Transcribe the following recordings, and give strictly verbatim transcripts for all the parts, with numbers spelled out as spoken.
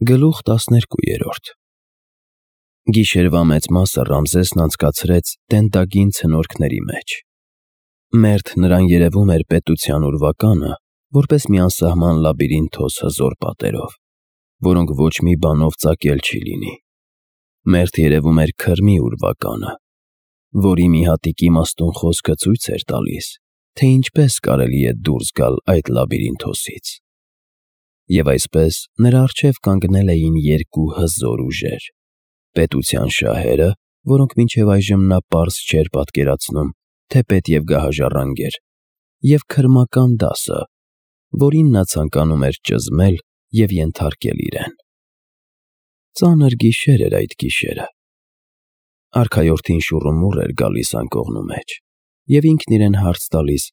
Գլուխ տասներկու։ Գիշերվա մեծ մասը Ռամզեսն անցկացրեց տենտագին ցնորքների մեջ։ Մերթ նրան երևում էր պետության ուրվականը, որպես մի անսահման լաբիրինթոս հզոր պատերով, որոնք ոչ մի բանով ծակել չի լինի։ Մերթ երևում էր քրմի ուրվականը, որի մի հատիկ իմաստուն խոսքը ցույց էր տալիս, թե ինչպես կարելի է դուրս գալ այդ լաբիրինթոսից։ Եվ այսպես նրա առջև կանգնել էին երկու հզոր ուժեր. պետության շահերը, որոնք մինչև այժմ նա պարզ չէր պատկերացնում, թե պետք է գահաժառանգեր, և քրմական դասը, որին նա ցանկանում էր ճզմել և ենթարկել իրեն։ Ծանր գիշեր էր այդ գիշերը։ Արքայորդին շուռումուռ էր գալիս անկողնու մեջ, և ինքն իրեն հարց տալիս.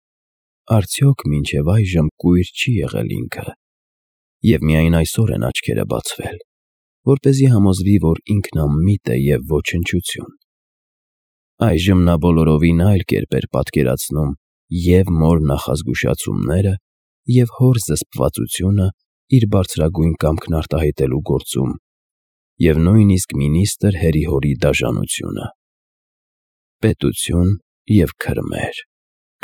արդյոք մինչև այժմ կույր չի եղել ինքը, և միայն այսօր են աչքերը բացվել, որպեսզի համոզվի, որ ինքն անմիտ է և ոչնչություն։ Այժմ նա բոլորովին այլ կերպ էր պատկերացնում և մոր նախազգուշացումները, և հոր զսպվածությունը իր բարձրագույն կամքն արտահայտելու գործում, և նույնիսկ մինիստր Հերիհորի դաժանությունը։ Պետություն և քրմեր,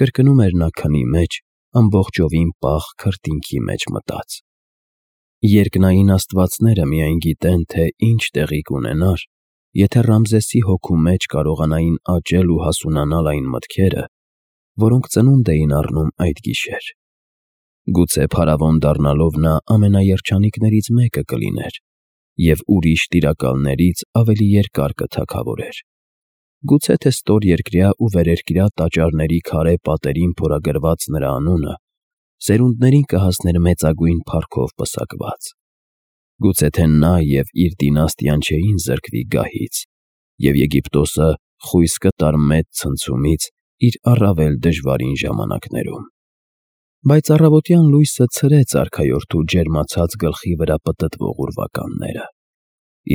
կրկնում էր նա քնի մեջ, ամբողջովին պաղ քրտինքի մեջ մտած։ Երկնային աստվածները միայն գիտեն, թե ինչ տեղի կունենար, եթե Ռամզեսի հոգու մեջ կարողանային աճել ու հասունանալ այն մտքերը, որոնք ծնունդ էին առնում այդ գիշեր։ Գուցե փարավոն դառնալով նա ամենաերջանիկներից մեկը կլիներ և ուրիշ տիրակալներից ավելի երկար կթագավորեր։ Գուցե թե ստորերկրյա ու վերերկրյա տաճարների քարե պատերին փորագրված նրա անունը սերունդներին կհասներ մեծագույն փառքով պսակված։ Գուցե թե նա և իր դինաստիան չէին զրկվի գահից, և Եգիպտոսը խույս կտար մեծ ցնցումից իր առավել դժվարին ժամանակներում։ Բայց առավոտյան լույսը ցրեց արքայորդու ջերմացած գլխի վրա պտտվող ուրվականները,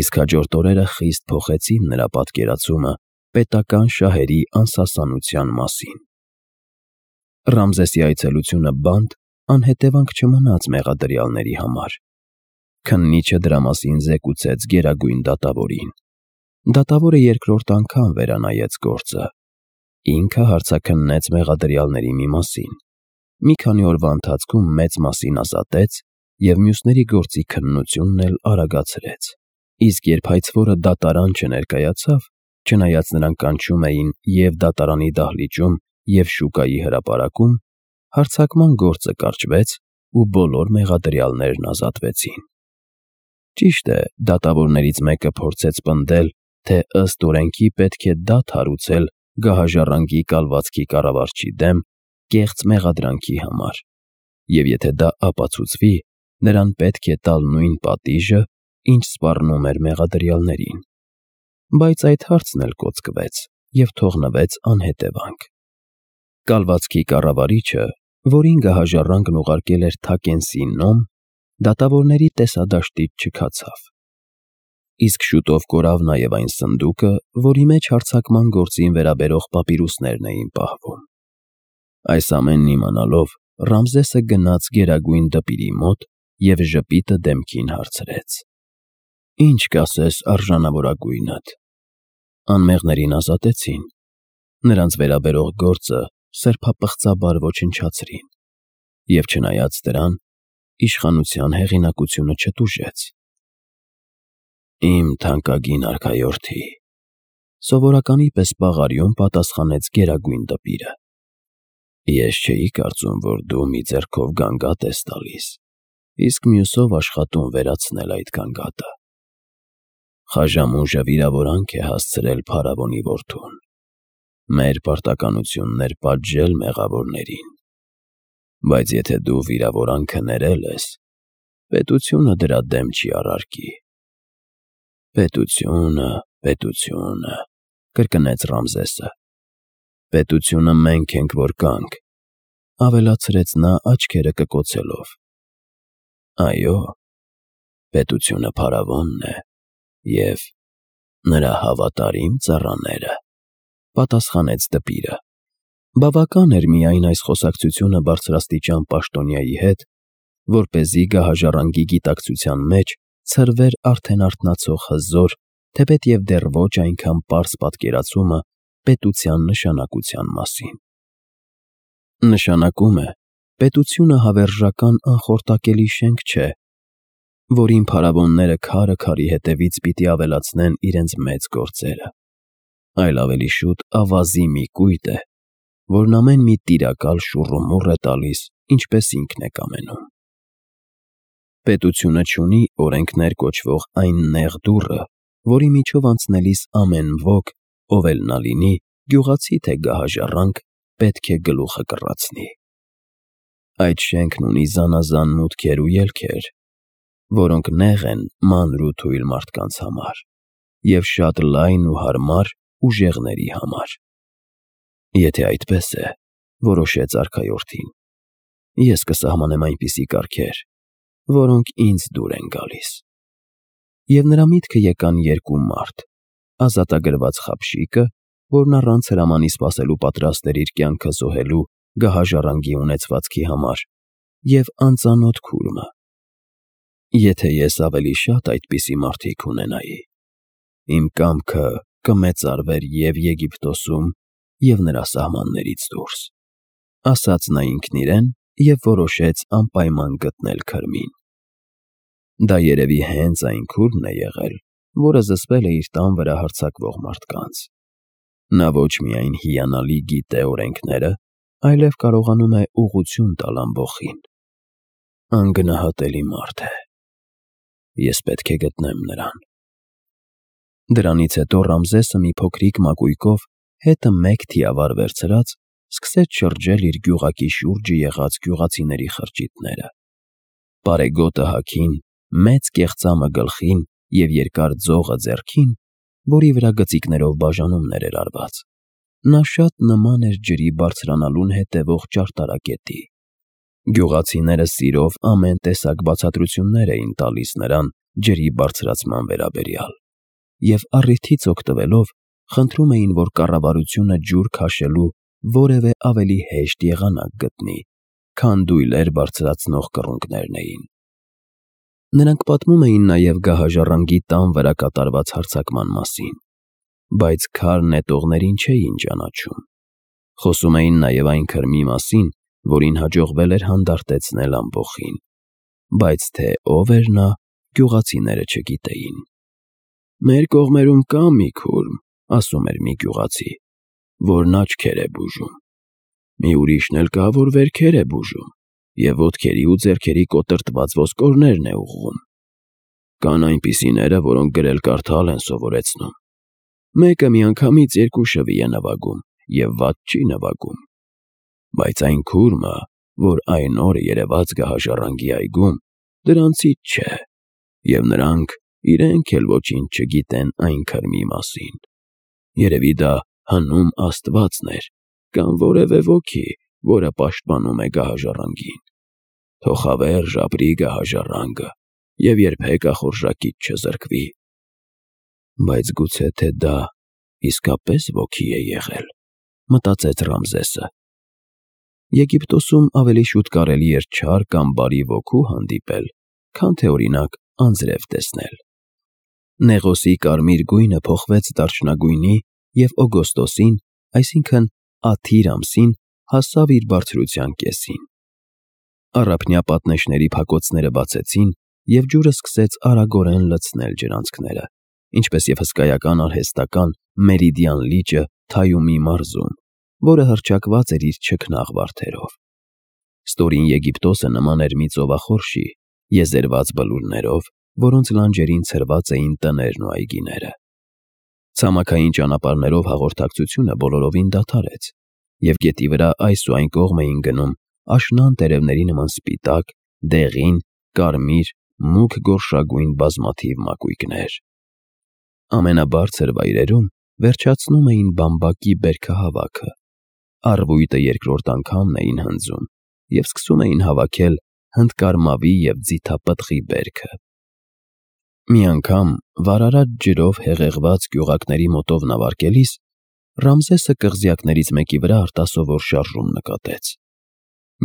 իսկ հաջորդ օրերը խիստ փոխեցին նրա պատկերացումը պետական շահերի անսասանության մասին։ Ռամզեսի այցելությունը բանտ անհետևանք չմնաց մեղադրյալների համար։ Քննիչը դրա մասին զեկուցեց գերագույն դատավորին։ Դատավորը երկրորդ անգամ վերանայեց գործը։ Ինքը հարցաքննեց մեղադրյալների մի մասին, մի քանի օրվա ընթացքում մեծ մասին ազատեց և մյուսների գործի քննությունն էլ արագացրեց։ Իսկ երբ հայցվորը դատարան չներկայացավ, չնայած նրան կանչում էին և դատարանի դահլիճում, և շուկայի հրապարակում, հարձակման գործը կարճվեց ու բոլոր մեղադրյալներն ազատվեցին։ Ճիշտ է, դատավորներից մեկը փորձեց պնդել, թե ըստ օրենքի պետք է դատ հարուցել գահաժառանգի կալվածքի կառավարչի դեմ կեղծ մեղադրանքի համար, և եթե դա ապացուցվի, նրան պետք է տալ նույն պատիժը, ինչ սպառնում էր մեղադրյալներին։ Բայց այդ հարցն էլ կոծկվեց և թողնվեց անհետևանք։ Կալվածքի կառավարիչը, որին գահաժառանգն ուղարկել էր Թակենսի նոմ, դատավորների տեսադաշտից չքացավ։ Իսկ շուտով կորավ նաև այն սնդուկը, որի մեջ հարձակման գործին վերաբերող պապիրուսներն էին պահվում։ Այս ամենն իմանալով, Ռամզեսը գնաց գերագույն դպիրի մոտ և ժպիտը դեմքին հարցրեց. «Ի՞նչ կասես, արժանավորագույնդ»։ Անմեղներին ազատեցին։ Նրանց վերաբերող գործը սրբապղծաբար ոչնչացրին, և չնայած դրան, իշխանության հեղինակությունը չտուժեց։ «Իմ թանկագին արքայորդի», սովորականի պես բաղարիում պատասխանեց գերագույն դպիրը, «ես չէի կարծում, որ դու մի ձեռքով գանգատ ես տալիս, իսկ մյուսով աշխատում վերացնել այդ գանգատը։ Խաժամուժը վիրավորանք է հասցրել փարավոնի որդուն, մեր պարտականությունն էր պատժել մեղավորներին։ Բայց եթե դու վիրավորանքը ներել ես, պետությունը դրա դեմ չի առարկի»։ «Պետությունը, պետությունը», կրկնեց Ռամզեսը։ «Պետությունը մենք ենք, որ կանք», ավելացրեց նա աչքերը կկոցելով։ «Այո, պետությունը փարավոնն է և նրա հավատարիմ ծառաները», պատասխանեց դպիրը։ Բավական էր միայն այս խոսակցությունը բարձրաստիճան պաշտոնյայի հետ, որպեսզի գահաժառանգի գիտակցության մեջ ցրվեր արդեն արթնացող հզոր, թեպետ և դեռ ոչ այնքան պարզ պատկերացումը պետության նշանակության մասին։ Նշանակում է, պետությունը հավերժական անխորտակելի շենք չէ, որին փարավոնները քարը քարի հետևից պիտի ավելացնեն իրենց մեծ գործերը, այլ ավելի շուտ ավազի մի կույտ է, որն ամեն մի տիրակալ շուռումուռ է տալիս, ինչպես ինքն է կամենում։ Պետությունը չունի օրենքներ կոչվող այն նեղ դուռը, որի միջով անցնելիս ամեն ոք, ով էլ նա լինի, գյուղացի թե գահաժառանգ, պետք է գլուխը կռացնի։ Այդ շենքն ունի զանազան մուտքեր ու ելքեր, որոնք նեղ են մանր ու թույլ մարդկանց համար և շատ լայն ու հարմար ուժեղների համար։ Եթե այդպես է, որոշեց արքայորդին, ես կսահմանեմ այնպիսի կարգեր, որոնք ինձ դուր են գալիս։ Եվ նրա միտքը եկան երկու մարդ, ազատագրված խաբշիկը, որն առանց հրամանի սպասելու պատրաստ էր իր կյանքը զոհելու գահաժառանգի ունեցվածքի համար, և անծանոթ քուրմը։ Եթե ես ավելի շատ այդպիսի մարդիկ ունենայի, իմ կամքը կմեծարվեր և Եգիպտոսում, և նրա սահմաններից դուրս, ասաց նա ինքն իրեն և որոշեց անպայման գտնել քրմին։ Դա երևի հենց այն քուրմն է եղել, որը զսպել է իր տան վրա հարձակվող մարդկանց։ Նա ոչ միայն հիանալի գիտե օրենքները, այլև կարողանում է ուղղություն տալ ամբոխին։ Անգնահատելի մարդ է։ Ես պետք է գտնեմ նրան։ Դրանից հետո Ռամզեսը մի փոքրիկ մակույկով հետը մեկ թիավար վերցրած, սկսեց շրջել իր գյուղակի շուրջը եղած գյուղացիների խրճիթները։ Պարեգոտը հագին, մեծ կեղծամը գլխին և երկար ձողը ձեռքին, որի վրա գծիկներով բաժանումներ էր արված, նա շատ նման էր ջրի բարձրանալուն հետևող ճարտարապետի։ Գյուղացիները սիրով ամեն տեսակ բացատրություններ էին տալիս նրան ջրի բարձրացման վերաբերյալ և առիթից օգտվելով խնդրում էին, որ կառավարությունը ջուր քաշելու որևէ ավելի հեշտ եղանակ գտնի, քան դույլեր բարձրացնող կռունկներն էին։ Նրանք պատմում էին նաև գահաժառանգի տան վրա կատարված հարձակման մասին, բայց քար նետողներին չէին ճանաչում։ Խոսում էին նաև այն քրմի մասին, որին հաջողվել էր հանդարտեցնել ամբոխին, բայց թե ով էր նա, գյուղացիները չգիտեին։ «Մեր կողմերում կա մի քուրմ, — ասում էր մի գյուղացի, — որն աչքեր է բուժում, մի ուրիշն էլ կա, որ վերքեր է բուժում և ոտքերի ու ձեռքերի կոտրտված ոսկորներն է ուղղում։ Կան այնպիսիները, որոնք գրել֊կարդալ են սովորեցնում։ Մեկը միանգամից երկու շվի է նվագում և վատ չի նվագում։ Բայց այն քուրմը, որ այն օրը երևաց գահաժառանգի այգում, դրանցից չէ, և նրանք իրենք էլ ոչինչ չգիտեն այն քրմի մասին։ Երևի դա հնում աստվածն էր կամ որևէ ոգի, որը պաշտպանում է գահաժառանգին։ Թող հավերժ ապրի գահաժառանգը և երբեք ախորժակից չզրկվի»։ Բայց գուցե թե դա իսկապես ոգի է եղել, մտածեց Ռամզեսը։ Եգիպտոսում ավելի շուտ կարելի էր չար կամ բարի ոգու հանդիպել, քան թե օրինակ անձրև տեսնել։ Նեղոսի կարմիր գույնը փոխվեց դարչնագույնի և օգոստոսին, այսինքն Աթիր ամսին, հասավ իր բարձրության կեսին։ Առափնյա պատնեշների փակոցները բացեցին, և ջուրը սկսեց արագորեն լցնել ջրանցքները, ինչպես և հսկայական արհեստական Մերիդիան լիճը Թայումի մարզում, որը հռչակված էր իր չքնաղ վարդերով։ Ստորին Եգիպտոսը նման էր մի ծովախորշի, եզերված բլուրներով, որոնց լանջերին ցրված էին տներն ու այգիները։ Ցամաքային ճանապարհներով հաղորդակցությունը բոլորովին դադարեց, և գետի վրա այս ու այն կողմ էին գնում աշնան տերևների նման սպիտակ, դեղին, կարմիր, մուգ գորշագույն բազմաթիվ մակույկներ։ Ամենաբարձր վայրերում վերջացնում էին բամբակի բերքահավաքը, առվույտը երկրորդ անգամն էին հնձում և սկսում էին հավաքել հնդկարմավի և ձիթապտղի բերքը։ Մի անգամ վարարած ջրով հեղեղված գյուղակների մոտով նավարկելիս Ռամզեսը կղզյակներից մեկի վրա արտասովոր շարժում նկատեց։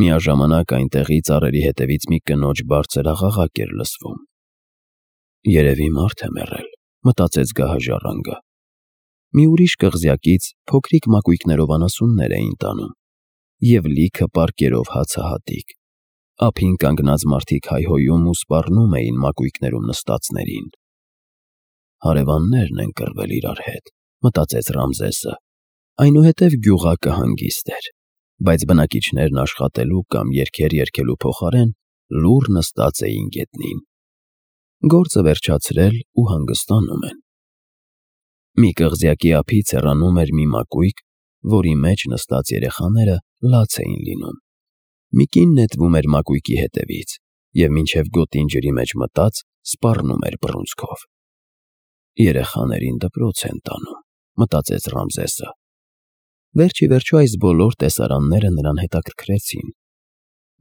Միաժամանակ այնտեղի ծառերի հետևից մի կնոջ բարձր աղաղակ էր լսվում։ Երևի մարդ է մեռել, մտածեց գահաժառանգը։ Մի ուրիշ կղզյակից փոքրիկ մակույկներով անասուններ էին տանում, և լիքը պարկերով հացահատիկ։ Ափին կանգնած մարդիկ հայհոյում ու սպառնում էին մակույկներում նստածներին։ Հարևաններն են կռվել իրար հետ, մտածեց Ռամզեսը։ Այնուհետև գյուղակը հանգիստ էր, բայց բնակիչներն աշխատելու կամ երգեր երգելու փոխարեն լուռ նստած էին գետնին։ Գործը վերջացրել ու հանգստանում են։ Մի կղզյակի ափից հեռանում էր մի մակույկ, որի մեջ նստած երեխաները լաց էին լինում։ Մի կին նետվում էր մակույկի հետևից և մինչև գոտին ջրի մեջ մտած սպառնում էր բռունցքով։ Երեխաներին դպրոց են տանում, մտածեց Ռամզեսը։ Վերջ ի վերջո այս բոլոր տեսարանները նրան հետաքրքրեցին։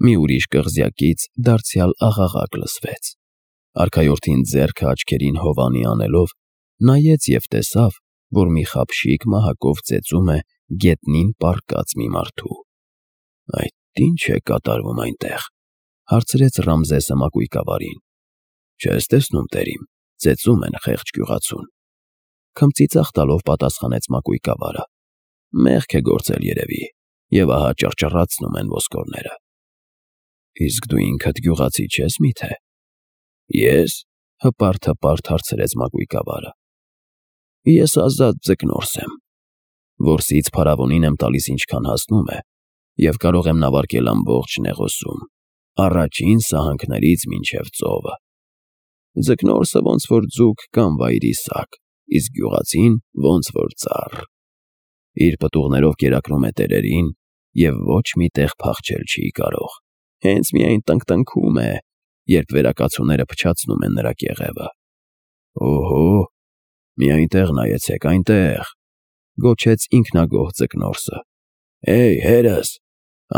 Մի ուրիշ կղզյակից դարձյալ աղաղակ լսվեց։ Արքայորդին ձեռքը աչքերին հովանի անելով նայեց և տեսավ, որ մի խաբշիկ մահակով ծեծում է գետնին պառկած մի մարդու։ Այդ ի՞նչ է կատարվում այնտեղ, հարցրեց Ռամզեսը մակույկավարին։ Չես տեսնում, տերիմ, ծեծում են խեղճ գյուղացուն։ Քմծիծաղ տալով պատասխանեց մակույկավարը։ Մեղք է գործել երևի, և ահա ճռճռացնում են ոսկորները։ Իսկ դու ինքդ գյուղացի չես մի՞թե։ Ես, հպարտ-հպարտ հարցրեց մակույկավարը։ Ես ազատ ձկնորս եմ։ Որսից փարավոնին եմ տալիս ինչքան հասնում է, և կարող եմ նավարկել ամբողջ Նեղոսում, առաջին սահանքներից մինչև ծովը։ Ձկնորսը ոնց որ ձուկ կամ վայրի սակ, իսկ գյուղացին ոնց որ ծառ։ Իր պտուղներով կերակրում է տերերին և ոչ մի տեղ փախչել չի կարող, հենց միայն տնկտնքում է, երբ վերակացուները փչացնում են նրա կեղևը։ Օհո, մի այնտեղ նայեցեք, այնտեղ, գոչեց ինքնագոհ ձկնորսը։ Հեյ, հերս,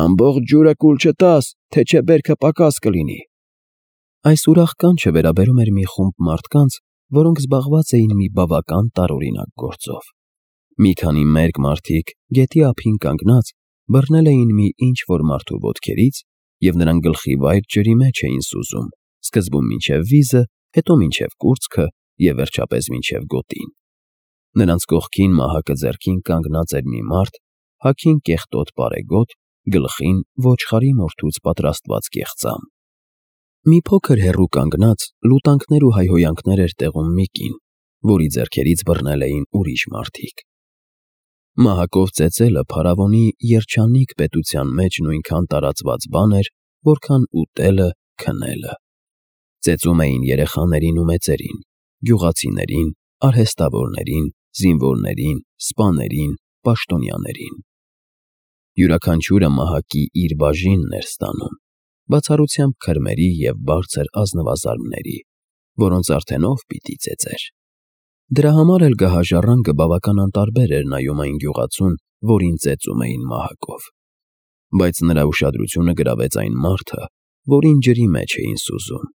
ամբողջ ջուրը կուլ չտաս, թե չէ բերքը պակաս կլինի։ Այս ուրախ կանչը վերաբերում էր մի խումբ մարդկանց, որոնք զբաղված էին մի բավական տարօրինակ գործով։ Մի քանի մերկ մարդիկ գետի ափին կանգնած բռնել էին մի ինչ-որ մարդու ոտքերից և նրան գլխիվայր ջրի մեջ էին սուզում, սկզբում մինչև վիզը, հետո մինչև կուրծքը և վերջապես մինչև գոտին։ Նրանց կողքին մահակը ձեռքին կանգնած էր մի մարդ, հագին կեղտոտ պարեգոտ, գլխին ոչխարի մորթուց պատրաստված կեղծամ։ Մի փոքր հեռու կանգնած լուտանքներ ու հայհոյանքներ էր տեղում մի կին, որի ձեռքերից բռնել էին ուրիշ մարդիկ։ Մահակով ծեծելը փարավոնի երջանիկ պետության մեջ նույնքան տարածված բան էր, որքան ուտելը, քնելը։ Ծեծում էին երեխաներին ու մեծերին, գյուղացիներին, արհեստավորներին, զինվորներին, սպաներին, պաշտոնյաներին։ Յուրաքանչյուրը մահակի իր բաժինն էր ստանում, բացառությամբ քրմերի և բարձր ազնվազարդների, որոնց արդեն ով պիտի ծեծեր։ Դրա համար էլ գահաժառանգը բավական անտարբեր էր նայում այն գյուղացուն, որին ծեծում էին մահակով։ Բայց նրա ուշադրությունը գրավեց այն մարդը, որին ջրի մեջ էին սուզում։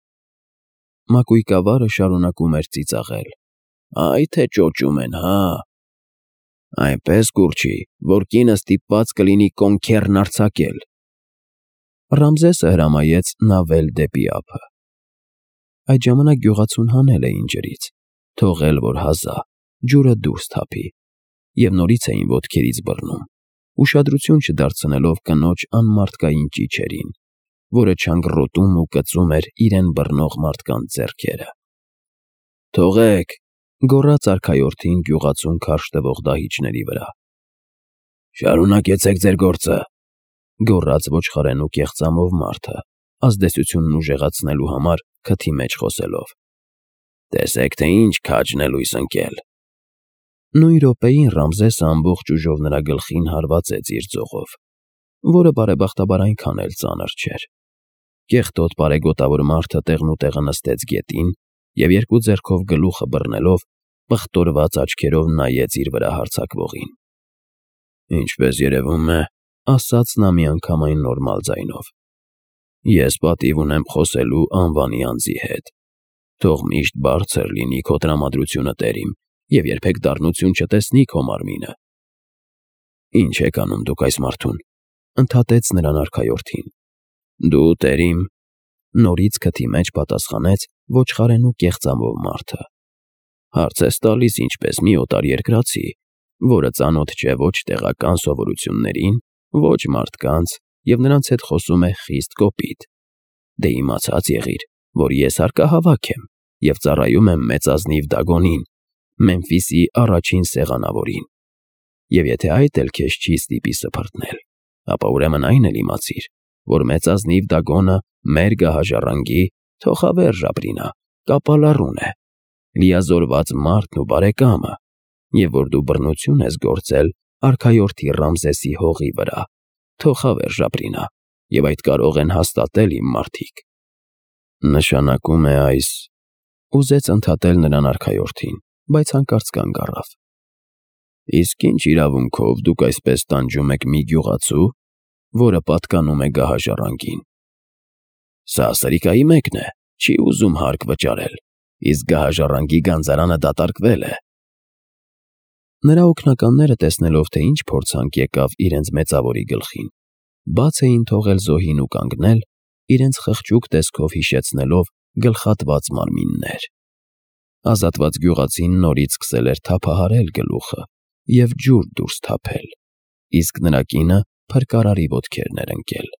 Մակույկավարը շարունակում էր ծիծաղել. Այ թե ճոճում են, հա։ Այնպես կուրչի, որ կինը ստիպված կլինի կոնքերն արձակել։ Ռամզեսը հրամայեց նավել դեպի ափը։ Այդ ժամանակ գյուղացուն հանել էին ջրից, թողել, որ հազա, ջուրը դուրս թափի, և նորից էին ոտքերից բռնում, ուշադրություն չդարձնելով կնոջ անմարդկային ճիչերին, որը չանգռոտում ու կծում էր իրեն բռնող մարդկանց ձեռքերը։ Թողեք, գոռաց արքայորդին գյուղացուն քարշ տվող դահիճների վրա։ Շարունակեցեք ձեր գործը, գոռաց ոչխարենու կեղծամով մարդը, ազդեցությունն ուժեղացնելու համար քթի մեջ խոսելով։ Տեսեք, թե ինչ քաջն է լույս ընկել։ Նույն րոպեին Ռամզեսը ամբողջ ուժով նրա գլխին հարվածեց իր ձողով, որը բարեբախտաբար այնքան էլ ծանր չէր։ Կեղտոտ պարեգոտավոր մարդը տեղնուտեղը նստեց գետին և երկու ձեռքով գլուխը բռնելով պղտորված աչքերով նայեց իր վրա հարձակվողին։ Ինչպես երևում է, ասաց նա միանգամայն նորմալ ձայնով, ես պատիվ ունեմ խոսելու անվանի անձի հետ։ Թող միշտ բարձր լինի քո տրամադրությունը, տերիմ, և երբեք դառնություն չտեսնի քո մարմինը։ Ինչ եք անում դուք այս մարդուն, ընդհատեց նրան արքայորդին։ Դու, տերիմ, նորից քթի մեջ պատասխանեց ոչխարեն ու կեղծամով մարդը։ Հարց ես տալիս ինչպես մի օտարերկրացի, որը ծանոթ չէ ոչ տեղական սովորություններին, ոչ մարդկանց և նրանց հետ խոսում է խիստ կոպիտ։ Դե իմացած եղիր, որ ես հարկահավաք եմ և ծառայում եմ մեծազնիվ Դագոնին, Մեմֆիսի առաջին սեղանավորին։ Եվ եթե այդ էլ քեզ չի ստիպի սփռտնել, ապա ուրեմն այն էլ իմացիր, որ մեծազնիվ Դագոնը մեր գահաժառանգի թոխավերժ ապրինա, կապալառուն է, լիազորված մարդն ու բարեկամը, և որ դու բռնություն ես գործել արքայորդի Ռամզեսի հողի վրա, թոխավերժ ապրինա, և այդ կարող են հաստատել իմ մարդիկ։ Նշանակում է այս… Ուզեց ընդհատել նրան արքայորդին, բայց հանկարծ կանգ առավ։ Իսկ ինչ իրավունքով դուք այսպես տանջում եք մի գյուղացու, որը պատկանում է գահաժառանգին։ Սա սրիկայի մեկն է, չի ուզում հարկ վճարել, իսկ գահաժառանգի գանձարանը դատարկվել է։ Նրա օգնականները, տեսնելով, թե ինչ փորձանք եկավ իրենց մեծավորի գլխին, բաց էին թողել զոհին ու կանգնել, իրենց խղճուկ տեսքով հիշեցնելով գլխատված մարմիններ։ Ազատված գյուղացին նորից սկսել էր թափահարել գլուխը և ջուր դուրս թափել, իսկ նրա կինը փրկարարի ոտքերն էր ընկել։